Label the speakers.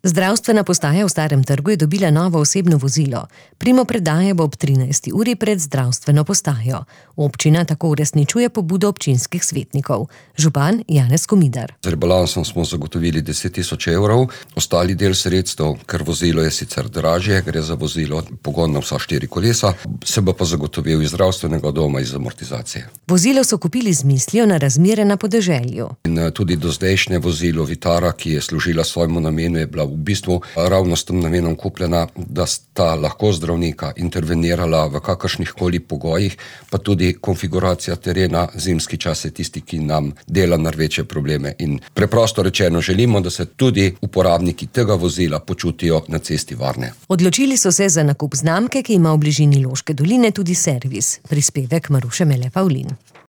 Speaker 1: Zdravstvena postaja v Starem trgu je dobila novo osebno vozilo. Primopredaja bo ob 13. uri pred zdravstveno postajo. Občina tako uresničuje pobudo občinskih svetnikov. Župan Janez Komidar.
Speaker 2: Z rebalansom smo zagotovili 10.000 evrov, ostali del sredstev, ker vozilo je sicer dražje, gre za vozilo pogon na vsa 4 kolesa, se bo pa zagotovil iz zdravstvenega doma iz amortizacije.
Speaker 1: Vozilo so kupili z mislijo na razmere na podeželju.
Speaker 2: In tudi dozdajšnje vozilo Vitara, ki je služila svojemu namenu, je bila v bistvu ravno s tem namenom kupljena, da sta lahko zdravnika intervenirala v kakršnihkoli pogojih, pa tudi konfiguracija terena, zimski čas je tisti, ki nam dela največje probleme. In preprosto rečeno želimo, da se tudi uporabniki tega vozila počutijo na cesti varne.
Speaker 1: Odločili so se za nakup znamke, ki ima v bližini Loške doline tudi servis. Prispevek Maruše Mele Pavlin.